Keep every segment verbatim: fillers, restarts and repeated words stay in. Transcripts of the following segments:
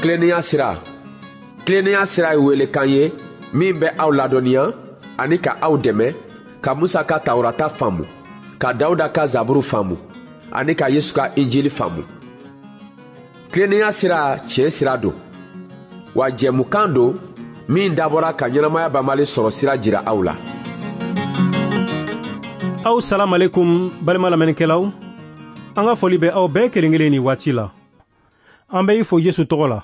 Tilennenya sira. Tilennenya sira ye welekan ye min bɛ aw ladɔnniya ani ka aw dɛmɛ ka Musa ka Tawurata faamu, ka Dawuda ka Zaburu faamu ani ka Yesu ka Injili faamu. Tilennenya sira tiɲɛ sira don, wa jɛmukan don min dabɔra ka ɲɛnamaya banbali sɔrɔ sira jira aw la. Aw salam alaikum balima lamɛnnikɛlaw, an ka foli bɛ aw bɛɛ kelen kelen ni waati la. An bɛ i fo Yesu tɔgɔ la,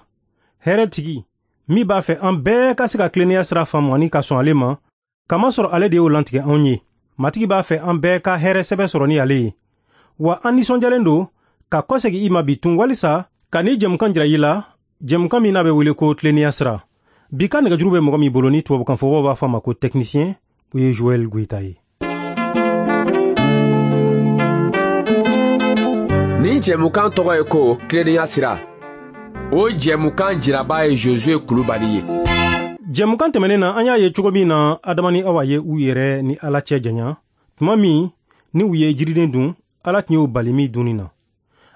hɛrɛ tigi min b'a fɛ an bɛɛ ka se ka tilennenya sira faamu ani ka sɔn ale ma, kamasɔrɔ ale de y'o lantigɛ anw ye. Matigi b'a fɛ an bɛɛ ka hɛrɛ sɛbɛ sɔrɔ ni ale ye. Wa an nisɔndiyalen don ka kɔsegin i ma bi tun walisa ka ni jɛmukan jira i la, jɛmukan min n'a bɛ wele ko tilennenya sira. Bi ka nɛgɛjuru bɛ mɔgɔ min bolo ni tubabukanfɔbaw b'a fɔ a ma ko technicien, o ye Joël Goïta ye. Nin jɛmukan tɔgɔ ye ko tilennenya sira. O jɛmukan jiraba ye Josué Kulubali ye. Jɛmukan tɛmɛnen na, an y'a ye cogo min na Adama ni Awa ye u yɛrɛ ni Ala cɛ janya tuma min ni u ye jiriden dun, Ala tun y'u bali min dunni na.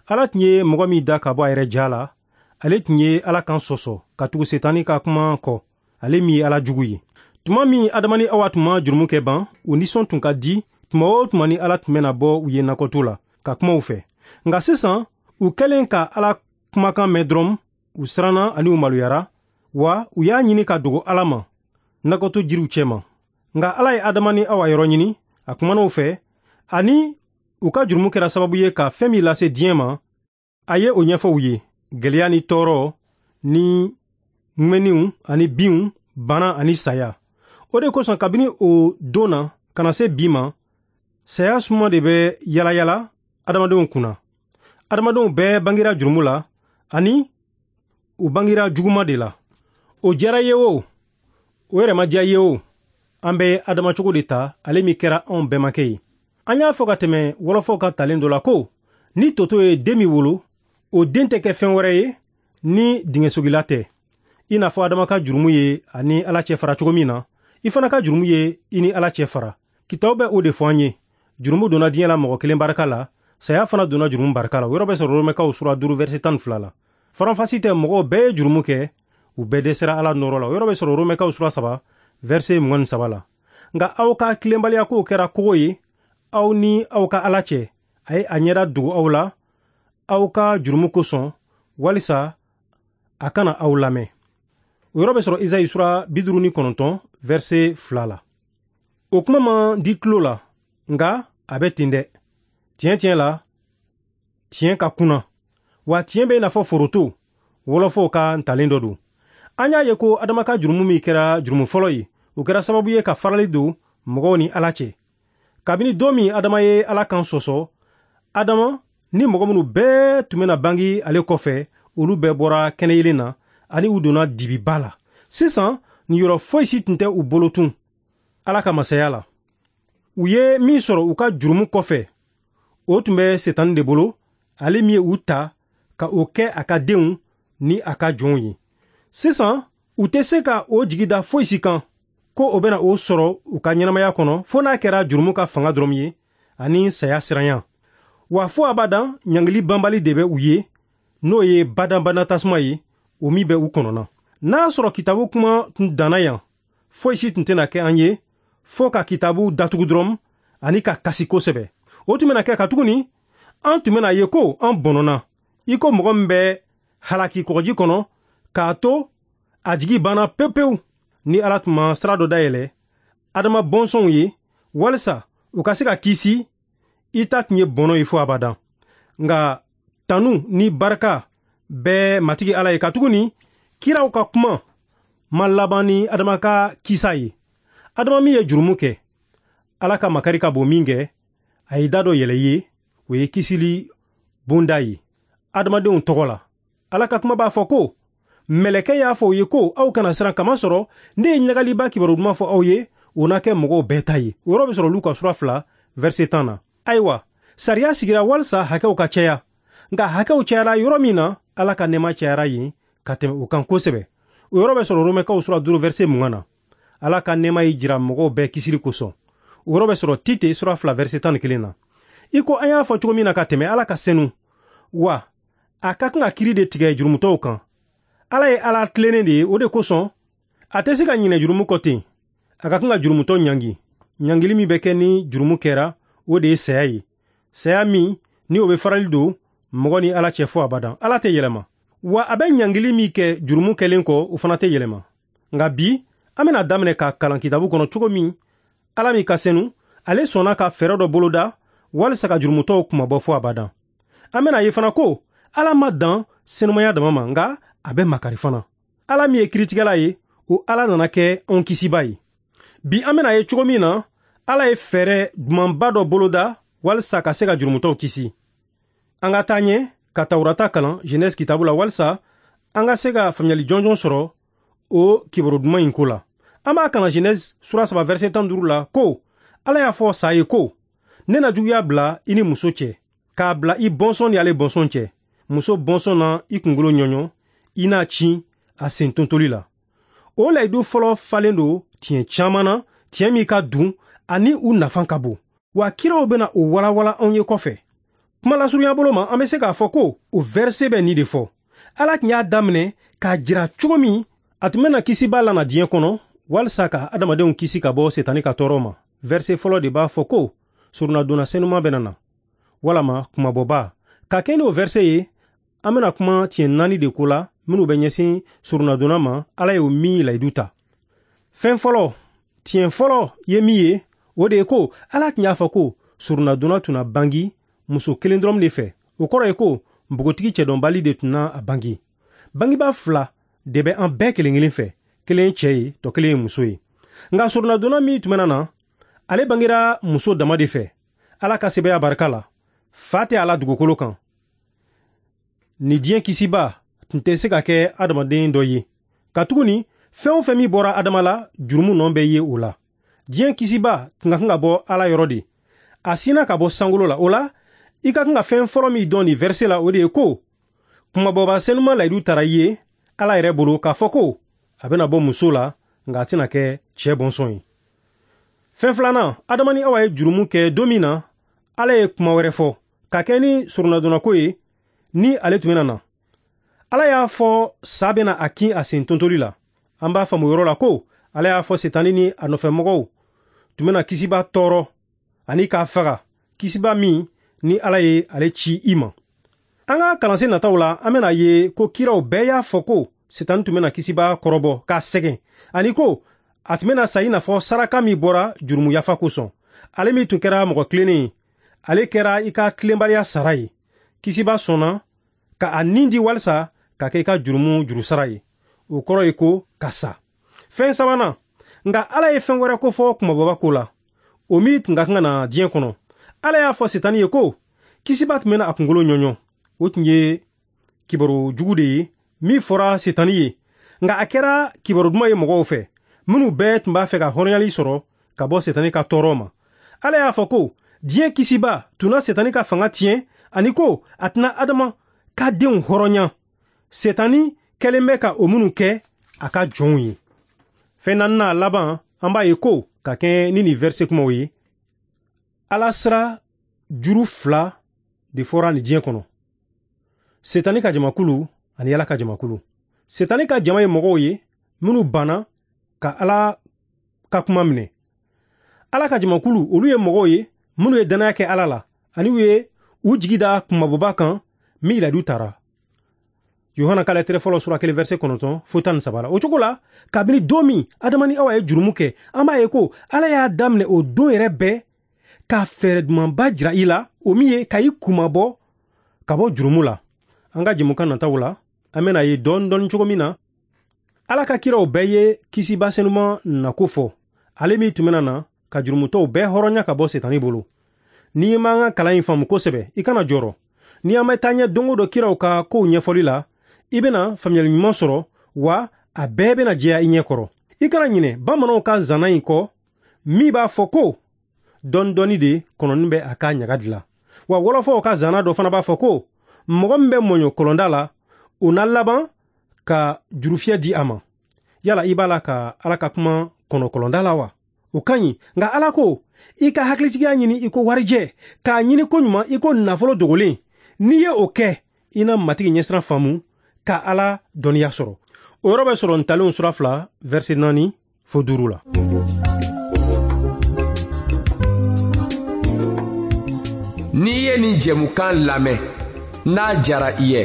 Ala tun ye mɔgɔ min da ka bɔ a yɛrɛ ja la, ale tun ye Ala kan sɔsɔ ka tugu Setani ka kuma kɔ, ale min ye Ala jugu ye. Tuma min Adama ni Awa tun ma jurumu kɛ ban, u nisɔn tun ka di tuma o tuma ni Ala tun bɛna bɔ u ye nakɔto la ka kuma u fɛ. Nka sisan u kɛlen ka Ala kumakan mɛn dɔrɔn, u siranna ani u maloyara, wa u y'a ɲini ka dogo Ala ma nakɔto jiriw cɛma. Nka Ala ye Adama ni Awa yɔrɔ ɲini, a kumana u fɛ, ani u ka jurumu kɛra sababu ye ka fɛn min lase diɲɛ ma, a ye o ɲɛfɔ u ye: gɛlɛya ni tɔɔrɔ ni ŋmɛniw ani binw, bana ani saya. O de kosɔn kabini o don na ka na se bi ma, saya suma de bɛ yalayala adamadenw kunna. Adamadenw bɛɛ bangera jurumu la ani u bangera juguma de la. O diyara ye o, o yɛrɛ ma diya ye o, an bɛ adama cogo de ta, ale min kɛra anw bɛnbakɛ ye. An y'a fɔ ka tɛmɛ wɔlɔfɔw ka talen dɔ la ko ni toto ye den min wolo, o den tɛ kɛ fɛn wɛrɛ ye ni dingɛsogila tɛ. I n'a fɔ Adama ka jurumu ye ani Ala cɛ fara cogo min na, i fana ka jurumu ye i ni Ala cɛ fara. Kitabu bɛ o de fɔ an ye. Jurumu donna diɲɛ la mɔgɔ kelen barika la, saya fana donna jurumu barika la. O yɔrɔ bɛ sɔrɔ Romɛkaw sura duuru verset tan ni fila la. Faranfasi tɛ, mɔgɔw bɛɛ ye jurumu kɛ, u bɛɛ dɛsɛra Ala nɔrɔ la. O yɔrɔ bɛ sɔrɔ Romɛkaw sura saba verset mugan ni saba la. Nka aw ka tilenbaliya kow kɛra kogo ye aw ni aw ka Ala cɛ. A ye a ɲɛda dogo aw la aw ka jurumu kosɔn, walisa a kana aw lamɛn. O yɔrɔ bɛ sɔrɔ Izayi sura bi duuru ni kɔnɔntɔn verset fila la. O kuma man di tulo la, nka a bɛ ten dɛ. Tiɲɛ tiɲɛ la, tiɲɛ ka kunna, wa tiɲɛ bɛ i n'a fɔ foroto, wɔlɔfɔw ka ntalen dɔ don. An y'a ye ko Adama ka jurumu min kɛra jurumu fɔlɔ ye, o kɛra sababu ye ka farali don mɔgɔw ni Ala cɛ. Kabini don min Adama ye Ala kan sɔsɔ, Adama ni mɔgɔ minnu bɛɛ tun bɛna bange ale kɔfɛ, olu bɛɛ bɔra kɛnɛyelen na ani u donna dibiba la. Sisan niyɔrɔ foyi si tun tɛ u bolo tun Ala ka masaya la. U ye min sɔrɔ u ka jurumu kɔfɛ, o tun bɛ Setani de bolo, ale min ye u ta ka o kɛ a ka denw ni a ka jɔnw ye. Sisan u tɛ se ka o jigi da foyi si kan ko o bɛna o sɔrɔ u ka ɲɛnamaya kɔnɔ, fo n'a kɛra jurumu ka fanga dɔrɔn ye ani saya siranya. Wa fo abadan ɲangili banbali de bɛ u ye, n'o ye badanbada tasuma ye, o min bɛ u kɔnɔna. N'a sɔrɔ kitabu kuma tun danna yan, foyi si tun tɛna kɛ an ye fo ka kitabu datugu dɔrɔn ani ka kasi kosɛbɛ. O tun bɛna kɛ katuguni an tun bɛna ye ko an bɔnɔna, i ko mɔgɔ min bɛ halaki kɔgɔji kɔnɔ k'a to a jigi banna pewu pewu. Ni Ala tun ma sira dɔ dayɛlɛ Adama bɔnsɔnw ye walisa u ka se ka kisi, i ta tun ye bɔnɔ ye fo abadan. Nka tanu ni barika bɛ Matigi Ala ye, katuguni kiraw ka kuma ma laban ni Adama ka kisa ye. Adama min ye jurumu kɛ, Ala ka makari ka bon min kɛ, a ye da dɔ yɛlɛ ye, o ye kisili bonda ye adamadenw tɔgɔ la. Ala ka kuma b'a fɔ ko mɛlɛkɛ y'a fɔ u ye ko aw kana siran, kamasɔrɔ ne ye ɲagaliba kibaru duman fɔ aw ye, o na kɛ mɔgɔw bɛɛ ta ye. O yɔrɔ bɛ sɔrɔ Luka sura fila verset tan na. Ayiwa, sariya sigira walisa hakɛw ka caya, nka hakɛw cayara yɔrɔ min na, Ala ka nɛɛma cayara yen ka tɛmɛ o kan kosɛbɛ. O yɔrɔ bɛ sɔrɔ Romɛkaw sura duuru verset mugan na. Ala ka nɛɛma y'i jira mɔgɔw bɛɛ kisili kosɔn. O yɔrɔ bɛ sɔrɔ Tite sura fila verset tan ni kelen na. I ko an y'a fɔ cogo min na ka tɛmɛ, Ala ka senu, wa a ka kan ka kiiri de tigɛ jurumutɔw kan. Ala ye Ala tilennen de ye, o de kosɔn a tɛ se ka ɲinɛ jurumu kɔ ten. A ka kan ka jurumutɔ ɲangi. Ɲangili min bɛ kɛ ni jurumu kɛra, o de ye saya ye. Saya min ni o bɛ farali don mɔgɔ ni Ala cɛ fɔ abadan. Ala tɛ yɛlɛma. Wa a bɛ ɲangili min kɛ jurumu kɛlen kɔ, o fana tɛ yɛlɛma. Nka bi, an bɛna daminɛ ka kalan kitabu kɔnɔ cogo min Ala min ka senu, ale sɔnna ka fɛɛrɛ dɔ boloda walisa ka jurumutɔw kunmabɔ fɔ abadan. An bɛna ye fana ko Ala ma dan senumaya dama ma, nka a bɛ makari fana. Ala min ye kiritigɛla ye, o Ala nana kɛ anw kisiba ye. Bi an bɛna ye cogo min na Ala ye fɛɛrɛ dumanba dɔ boloda walisa ka se ka jurumutɔw kisi. An ka taa ɲɛ ka Tawurata kalan Genèse kitabu la walisa an ka se ka faamuyali jɔnjɔn sɔrɔ o kibaru duman in ko la. An b'a kalan Genèse sura saba verset tan duuru la ko Ala y'a fɔ sa ye ko ne na juguya bila i ni muso cɛ, k'a bila i bɔnsɔn ni ale bɔnsɔn cɛ. Muso bɔnsɔn na i kunkolo ɲɔɲɔ, i n'a ci a sen tontoli la. O layidu fɔlɔ falen don tiɲɛ caman na, tiɲɛ min ka dun ani u nafa ka bon. Wa kiraw bɛna o walawala anw ye kɔfɛ. Kuma lasurunya bolo ma, an bɛ se k'a fɔ ko o verset bɛ nin de fɔ. Ala tun y'a daminɛ k'a jira cogo min a tun bɛna kisiba lana diɲɛ kɔnɔ walisa ka adamadenw kisi ka bɔ setani ka tɔɔrɔ ma. Verset fɔlɔ de b'a fɔ ko surunadonna senuma bɛna na, walama kumabɔba. Ka kɛ n'o verset ye, an bɛna kuma tiɲɛ naani de ko la minnu bɛ ɲɛsin surunadonna ma, Ala ye o min layidu ta. Fɛn fɔlɔ, tiɲɛ fɔlɔ ye min ye, o de ye ko Ala tun y'a fɔ ko surunadonna tun na bangi muso kelen dɔrɔn de fɛ. O kɔrɔ ye ko npogotigi cɛdɔnbali de tun na a bangi. Bangiba fila de bɛ an bɛɛ kelen kelen fɛ, kelen ye cɛ ye, tɔ kelen ye muso ye. Nka surunadonna min tun bɛna na, ale bangera muso dama de fɛ. Ala ka sɛbɛya barika la, fa tɛ a la dugukolo kan. Ni diɲɛ kisiba tun tɛ se ka kɛ adamaden dɔ ye. Katuguni fɛn o fɛn min bɔra Adama la, jurumu nɔ bɛ ye o la. Diɲɛ kisiba tun ka kan ka bɔ Ala yɔrɔ de. A sinna ka bɔ sankolo la. O la, i ka kan ka fɛn fɔlɔ min dɔn nin verset la, o de ye ko kumabɔba senuma layidu tara i ye Ala yɛrɛ bolo k'a fɔ ko a bɛna bɔ muso la, nka a tɛna kɛ cɛ bɔnsɔn ye. Fɛn filanan, Adama ni Awa ye jurumu kɛ don min na, Ala ye kuma wɛrɛ fɔ ka kɛ ni surunadonnako ye ni ale tun bɛna na. Ala y'a fɔ sa bɛna a kin a sen tontoli la. An b'a faamu yɔrɔ la ko Ala y'a fɔ Setani ni a nɔfɛmɔgɔw tun bɛna kisiba tɔɔrɔ ani k'a faga, kisiba min ni Ala ye ale ci i ma. An ka kalansen nataw la, an bɛna ye ko kiraw bɛɛ y'a fɔ ko Setani tun bɛna kisiba kɔrɔbɔ k'a sɛgɛn, ani ko a tun bɛna sa i n'a fɔ saraka min bɔra jurumu yafa kosɔn. Ale min tun kɛra mɔgɔ tilennen ye, ale kɛra i ka tilenbaliya sara ye. Kisiba sɔnna ka a nin di walisa ka kɛ i ka jurumu jurusara ye. O kɔrɔ ye ko ka sa. Fɛn sabanan, nka Ala ye fɛn wɛrɛ ko fɔ kumabɔba ko la, o min tun ka kan ka na diɲɛ kɔnɔ. Ala y'a fɔ Setani ye ko kisiba tun bɛna a kunkolo ɲɔɲɔ. O tun ye kibaru jugu de ye min fɔra Setani ye, nka a kɛra kibaru duman ye mɔgɔw fɛ minnu bɛɛ tun b'a fɛ ka hɔrɔnyali sɔrɔ ka bɔ Setani ka tɔɔrɔ ma. Ala y'a fɔ ko diɲɛ kisiba tun na Setani ka fanga tiɲɛ, ani ko a tɛna Adama ka denw hɔrɔnya. Setani kɛlen bɛ ka o minnu kɛ a ka jɔnw ye. Fɛn naaninan laban, an b'a ye ko ka kɛ ni nin verset kumaw ye, Ala sira juru fila de fɔra nin diɲɛ kɔnɔ: Setani ka jamakulu ani Ala ka jamakulu. Setani ka jama ye mɔgɔw ye minnu banna ka Ala ka kuma minɛ. Ala ka jamakulu, olu ye mɔgɔw ye minnu ye danaya kɛ Ala la, ani u ye u jigi da kumabɔba kan min layidu tara. Yohana ka lɛtɛrɛ fɔlɔ sura kelen verset kɔnɔntɔn fo tan ni saba la. O cogo la, kabini don min Adama ni Awa ye jurumu kɛ, an b'a ye ko Ala y'a daminɛ o don yɛrɛ bɛɛ ka fɛɛrɛ dumanba jira i la, o min ye ka i kunmabɔ ka bɔ jurumu la. An ka jɛmukan nataw la, an bɛna ye dɔɔni dɔɔni cogo min na Ala ka kiraw bɛɛ ye kisiba senuma nako fɔ, ale min tun bɛna na ka jurumutɔw bɛɛ hɔrɔnya ka bɔ Setani bolo. N'i m'an ka kalan in faamu kosɛbɛ, i kana jɔrɔ. Ni an bɛ taa ɲɛ don o don kiraw ka kow ɲɛfɔli la, i bɛna faamuyali ɲuman sɔrɔ, wa a bɛɛ bɛna jɛya i ɲɛ kɔrɔ. I kana ɲinɛ bamananw ka zana in kɔ min b'a fɔ ko dɔɔni dɔɔni de kɔnɔni bɛ a ka ɲaga dilan. Wa wɔlɔfɔw ka zana dɔ fana b'a fɔ ko mɔgɔ min bɛ mɔɲɔ kɔlɔnda la, o na laban ka jurufiyɛ di a ma. Yala i b'a la ka Ala ka kuma kɔnɔ kɔlɔnda la wa? O ka ɲi, nka Ala ko i ka hakilitigiya ɲini i ko warijɛ, k'a ɲini ko ɲuman i ko nafolo dogolen. N'i ye o kɛ, i na Matigi ɲɛsiran faamu ka Ala dɔnniya sɔrɔ. O yɔrɔ bɛ sɔrɔ Ntalenw sura fila verset naani fo duuru la. N'i ye nin jɛmukan lamɛn, n'a diyara i ye,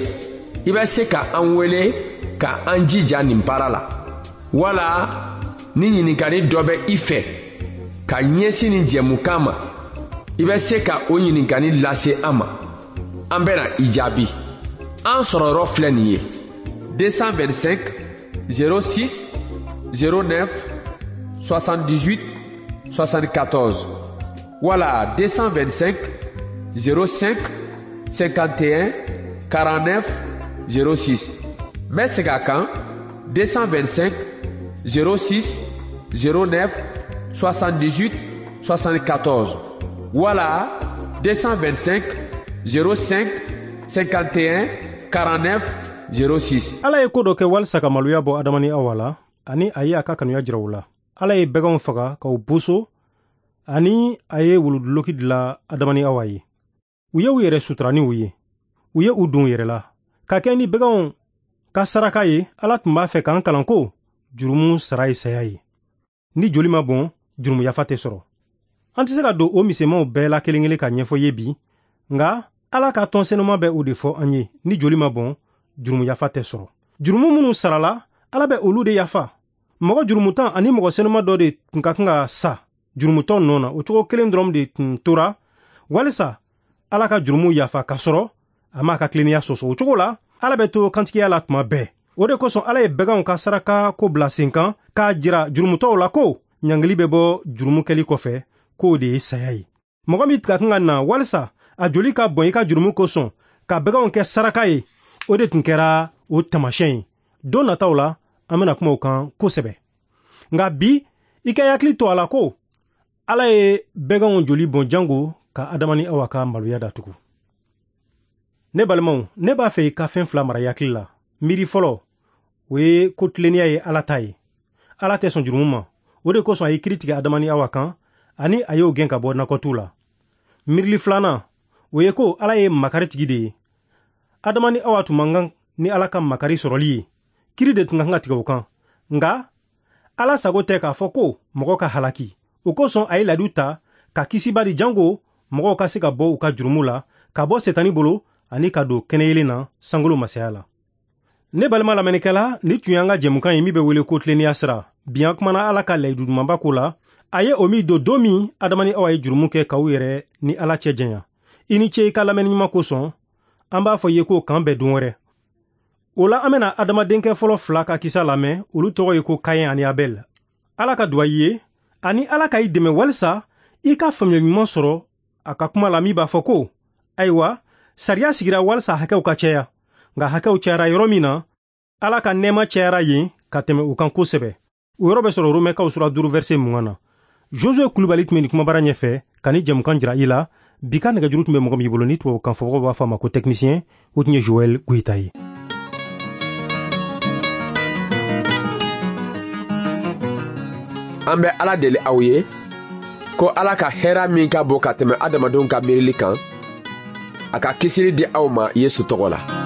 i bɛ se ka an wele ka an jija nin baara la. Wala ni ɲininkali dɔ bɛ i fɛ ka ɲɛsin nin jɛmukan ma, i bɛ se ka o ɲininkali lase an ma. An bɛna i jaabi. An sɔrɔ yɔrɔ filɛ nin ye: deux cent vingt-cinq zéro six zéro neuf soixante-dix-huit soixante-quatorze wala deux cent vingt-cinq zéro cinq cinquante et un quarante-neuf zéro six. N bɛ segin a kan: deux cent vingt-cinq zéro six zéro neuf soixante-dix-huit soixante-quatorze wala deux cent vingt-cinq zéro cinq cinquante et un quarante-neuf zéro six. Ala ye ko dɔ kɛ walisa ka maloya bɔ Adama ni Awa la, ani a ye a ka kanuya jira u la. Ala ye baganw faga k'u boso, ani a ye wuluduloki dilan Adama ni Awa ye. U ye u yɛrɛ sutura ni u ye. U ye u don u yɛrɛ la. Ka kɛ ni baganw ka saraka ye, Ala tun b'a fɛ k'an kalan ko jurumu sara ye saya ye. Ni joli ma bɔn, jurumu yafa tɛ sɔrɔ. An tɛ se ka don o misɛnmanw bɛɛ la kelen kelen ka ɲɛfɔ ye bi, nka Ala ka tɔn senuma bɛ o de fɔ an ye: ni joli ma bɔn, jurumu yafa tɛ sɔrɔ. Jurumu minnu sarala, Ala bɛ olu de yafa. Mɔgɔ jurumutan ani mɔgɔ senuma dɔ de tun ka kan ka sa jurumutɔ nɔ na. O cogo kelen dɔrɔn de tun tora walisa Ala ka jurumu yafa k'a sɔrɔ a m'a ka tilennenya sɔsɔ. O cogo la, Ala bɛ to kantigiya la tuma bɛɛ. O de kosɔn Ala ye baganw ka saraka ko bila sen kan k'a jira jurumutɔw la ko ɲangili bɛ bɔ jurumu kɛli kɔfɛ, k'o de ye saya ye. Mɔgɔ min ka kan ka na walisa a joli ka bɔn i ka jurumu kosɔn ka baganw kɛ saraka ye, o de tun kɛra o taamasiyɛn ye. Don nataw la, an bɛna kuma o kan kosɛbɛ. Nka bi, i ka hakili to a la ko Ala ye baganw joli bɔn jango ka Adama ni Awa ka maloya datugu. Ne balimaw, ne b'a fɛ i ka fɛn fila mara i hakili la. Miiri fɔlɔ, o ye ko tilennenya ye Ala ta ye. Ala tɛ sɔn jurumu ma. O de kosɔn a ye kiiri tigɛ Adama ni Awa kan, ani a y'o gɛn ka bɔ nakɔtu la. Miirili filanan, o ye ko Ala ye makari tigi de ye. Adama ni Awa tun man kan ni Ala ka makari sɔrɔli ye. Kiiri de tun ka kan ka tigɛ o kan. Nka Ala sago tɛ k'a fɔ ko mɔgɔ ka halaki. O kosɔn a ye layidu ta ka kisiba di jango mɔgɔw ka se ka bɔ u ka jurumu la, ka bɔ Setani bolo ani ka don kɛnɛyelen na sankolo masaya la. Ne balima lamɛnnikɛla, ni tun y'an ka jɛmukan ye min bɛ wele ko tilennenya sira. Bi an kumana Ala ka layidu dumanba ko la. A ye o min don don min Adama ni Awa ye jurumu kɛ k'u yɛrɛ ni Ala cɛ janya. I ni ce i ka lamɛnni ɲuman kosɔn. An b'a fɔ i ye ko k'an bɛn don wɛrɛ. O la, an bɛna adamadenkɛ fɔlɔ fila ka kisa lamɛn. Olu tɔgɔ ye ko Kayɛn ani Abɛl. Ala ka duwa i ye, ani Ala ka i dɛmɛ walisa i ka faamuyali ɲuman sɔrɔ a ka kuma la min b'a fɔ ko ayiwa, sariya sigira walisa hakɛw ka caya. Nka hakɛw cayara yɔrɔ min na, Ala ka nɛɛma cayara yen ka tɛmɛ u kan kosɛbɛ. O yɔrɔ bɛ sɔrɔ Romɛkaw sura duuru verset mugan na. Josue Kulubali tun bɛ nin kumabara ɲɛfɛ ka ni jɛmukan jira i la. Bi ka nɛgɛjuru tun bɛ mɔgɔ min bolo ni tubabukan fɔbagaw b'a fɔ a ma ko technicien, o tun ye Joël Goyita ye. An bɛ Ala deli aw ye ko Ala ka hɛrɛ min ka bon ka tɛmɛ adamadenw ka miirili kan, a ka kisili di aw ma Yesu tɔgɔ la.